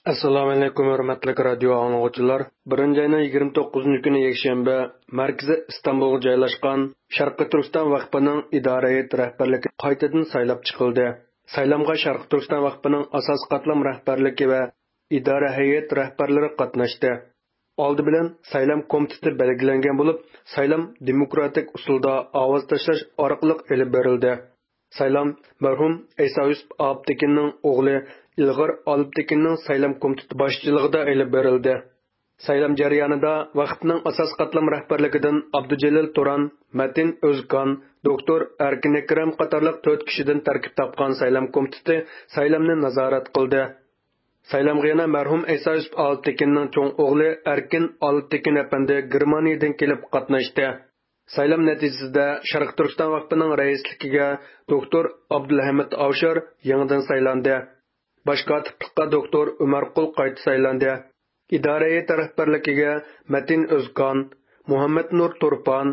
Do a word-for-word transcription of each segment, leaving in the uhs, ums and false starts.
ئەسسالامۇئەلەيكۇم، ھۆرمەتلىك رادىيو ئاڭلىغۇچىلار. بىرىنچى ئاينىڭ يىگىرمە توققۇزىنچى كۈنى يەكشەنبە، مەركىزى ئىستانبۇلغا جايلاشقان شەرقىي تۈركىستان ۋەقپىنىڭ ئىدارە ھەيئەت رەھبەرلىكى قايتىدىن سايلاپ چىقىلدى. سايلامغا شەرقىي تۈركىستان ۋەقپىنىڭ ئاساسىي قاتلام رەھبەرلىكى ۋە ئىدارە ھەيئەت رەھبەرلىرى قاتناشتى. ئالدى بىلەن سايلام كومىتېتى بەلگىلەنگەن بولۇپ، سايلام دېموكراتىك ئۇسۇلدا ئاۋاز تاشلاش ئارقىلىق ئېلىپ بېرىلدى. سايلام مەرھۇم ئەيسا يۈسۈپ ئالپتېكىننىڭ ئوغلى ئىلغار ئالپتېكىننىڭ سايلام كومىتېتى باشچىلىقىدا ئېلىپ بېرىلدى. سايلام جەريانىدا ۋەقىپنىڭ ئاساسىي قاتلام رەھبەرلىكىدىن ئابدۇجېلىل تۇران، مەتىن ئۆزكان، دوكتور ئەركىن ئەكرەم قاتارلىق تۆت كىشىدىن تەركىب تاپقان سايلام كومىتېتى سايلامنى نازارەت قىلدى. سايلامغا يەنە مەرھۇم ئەيسا يۈسۈپ ئالپتېكىننىڭ چوڭ ئوغلى ئەركىن ئالپتېكىن ئەپەندى گېرمانىيەدىن كېلىپ قاتناشتى. سايلام نەتىجىسىدە شەرقىي تۈركىستان ۋەقپىنىڭ رەئىسلىكىگە دوكتور ئابدۇلھەمىت ئاۋشار يېڭىدىن سايلاندى. باش كاتىپلىققا دوكتور ئۆمەرقۇل قايتا سايلاندى. ئىدارە ھەيئىتى رەھبەرلىكىگە مەتىن ئۆزكان، مۇھەممەتنۇر تۇرپان،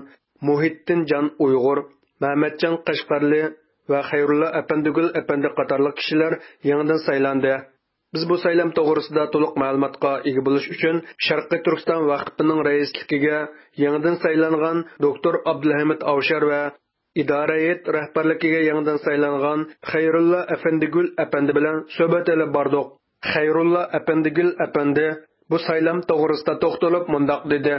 مۇھىتتىنجان ئۇيغۇر، مەمەتجان قەشقەرلى ۋە خەيرۇللا ئەپەندىگۈل ئەپەندى قاتارلىق كىشىلەر يېڭىدىن سايلاندى. بىز بۇ سايلام توغرىسىدا تولۇق مەلۇماتقا ئىگە بولۇش ئۈچۈن شەرقىي تۈركىستان ۋەقپىنىڭ رەئىسلىكىگە يېڭىدىن سايلانغان دوكتور ئابدۇلھەمىت ئاۋشار ۋە ئىدارە ھەيئەت رەھبەرلىكىگە يېڭىدىن سايلانغان خەيرۇللا ئەپەندىگۈل ئەپەندى بىلەن سۆھبەت ئېلىپ باردۇق. خەيرۇللا ئەپەندىگۈل ئەپەندى بۇ سايلام توغرىسىدا توختىلىپ مۇنداق دېدى.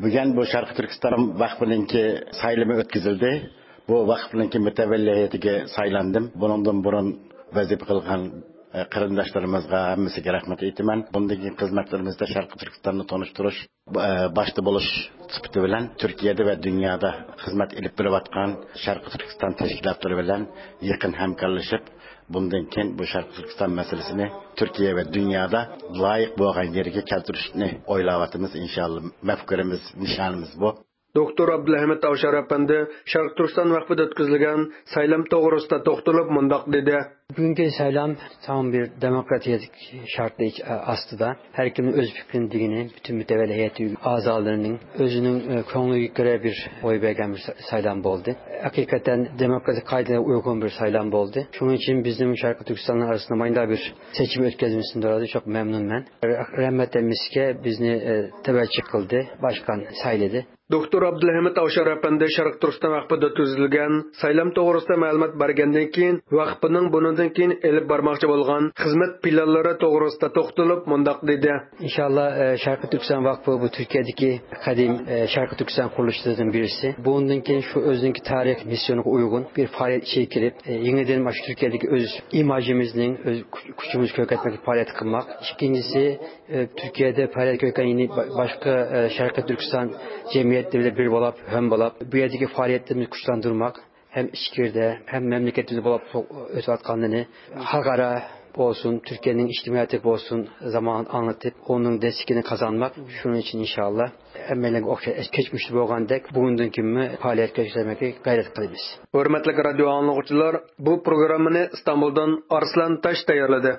بۈگۈن بۇ شەرقىي تۈركىستان ۋەقپىنىڭكى سايلىمى ئۆتكۈزۈلدى. بۇ ۋەقىپنىڭكى مۇتەۋەللى ھەيئىتىگە سايلاندىم. بۇنىڭدىن بۇرۇن ۋەزىپە قىلغان، ئە، قېرىنداشلىرىمىزغا ھەممىسىگە رەھمەت ئېيتىمەن. بۇندىن كېيىن خىزمەتلىرىمىزدە شەرقىي تۈركىستاننى تونۇشتۇرۇش، ئە، باشتا بولۇش سۈپىتى بىلەن تۈركىيەدە ۋە دۇنيادا خىزمەت ئېلىپ بېرىۋاتقان شەرقىي تۈركىستان تەشكىلاتلىرى بىلەن يېقىن ھەمكارلىشىپ، بۇندىن كېيىن بۇ شەرقىي تۈركىستان مەسىلىسىنى تۈركىيە ۋە دۇنيادا لايىق بولغان يېرىگە كەلتۈرۈشنى ئويلاۋاتىمىز، ئىنشاللا. مەپكۇرىمىز، نىشانىمىز بۇ. دوكتور ئابدۇلھەمىد ئاۋشار ئەپەندى شەرقىي تۈركىستان ۋەقپىدە ئۆتكۈزۈلگەن سايلام توغرىسىدا توختىلىپ مۇنداق دېدى. بۈگۈنكى سايلام تامام بىر دېموكراتىيە شارتى ئاستىدا ھەر كىمنىڭ ئۆز پىكرىنى دېگىنى، پۈتۈن مۇتەۋەللى ھەيئەت ئەزالىرىنىڭ ئۆزىنىڭ، ئە، كۆڭلىگە كۆرە بىر ئوي بەرگەن بىر سا-، سايلام بولدى. ھەقىقەتەن دېموكراتىك قائىدىلەرگە ئۇيغۇن بىر سايلام بولدى. شۇنىڭ ئۈچۈن بىزنىڭ شەرقىي تۈركىستاننىڭ ئارىسىندا مانداق بىر سېچىم ئۆتكۈزمىسىدىن دورا چوق مەمنۇنمەن. رە-، رەھمەت ھەممىسىگە بىزنى، ئە، تەۋەچى قىلدى، باشقان سايلىدى. دوكتور ئابدۇلھەمىد ئاۋشار ئەپەندى شەرقىي تۈركىستان ۋەقپىدە ئۆتكۈزۈلگەن سايلام توغرىسىدا مەلۇمات بەرگەندىن كېيىن، ۋەقپىنىڭ بۇنىڭدىن كېيىن ئېلىپ بارماقچى بولغان خىزمەت پىلانلىرى توغرىسىدا توختىلىپ مۇنداق دېدى. ئىنشاللا، ئە، شەرقىي تۈركىستان ۋەقپى بۇ تۈركىيەدىكى قەدىم، ئە، شەرقىي تۈركىستان قۇرۇلۇشلىرىدىن بىرسى. بۇنىڭدىن كېيىن شۇ ئۆزىنىڭكى تارىخ مىسسىيونىغا ئۇيغۇن بىر پائالىيەت ئىچىگە كىرىپ، ئە، يېڭىدىن مانا شۇ تۈركىيەدىكى ئۆز ئىماژىمىزنىڭ، ئۆز كۈچ-، كۈچىمىزنى كۆرسەتمەكلىك پائالىيەت قىلماق. ئىككىنچىسى، ئە، تۈركىيەدە پائالىيەت كۆرسەتكەن يەنە با-، باشقا، ئە، شەرقىي تۈركىستان جەمئىيەتلىرى بىلەن بىر بولۇپ، ھەم بولۇپ، بۇ يەردىكى پائالىيەتلىرىمىزنى كۈچلەندۈرمەك، ھەم ئىچكىرىدە، ھەم مەملىكەتلىرىدە بولۇپ ئۆتۈۋاتقانلىرىنى خەلقئارا بولسۇن، تۈركىيەنىڭ ئىجتىمائىيىتى بولسۇن، زامانىغا ئاڭلىتىپ، ئۇنىڭ دەستىكىنى قازانماق. شۇنىڭ ئۈچۈن ئىنشاللا ھەممەيلەنگە ئوخشاش كەچمىشتە بولغاندەك، بۈگۈندىن كېيىنمۇ پائالىيەت كۆرسەتمەككە غەيرەت قىلىمىز. ھۆرمەتلىك رادىيو ئاڭلىغۇچىلار، بۇ پروگراممىنى ئىستانبۇلدىن ئارسلان تاش تەييارلىدى.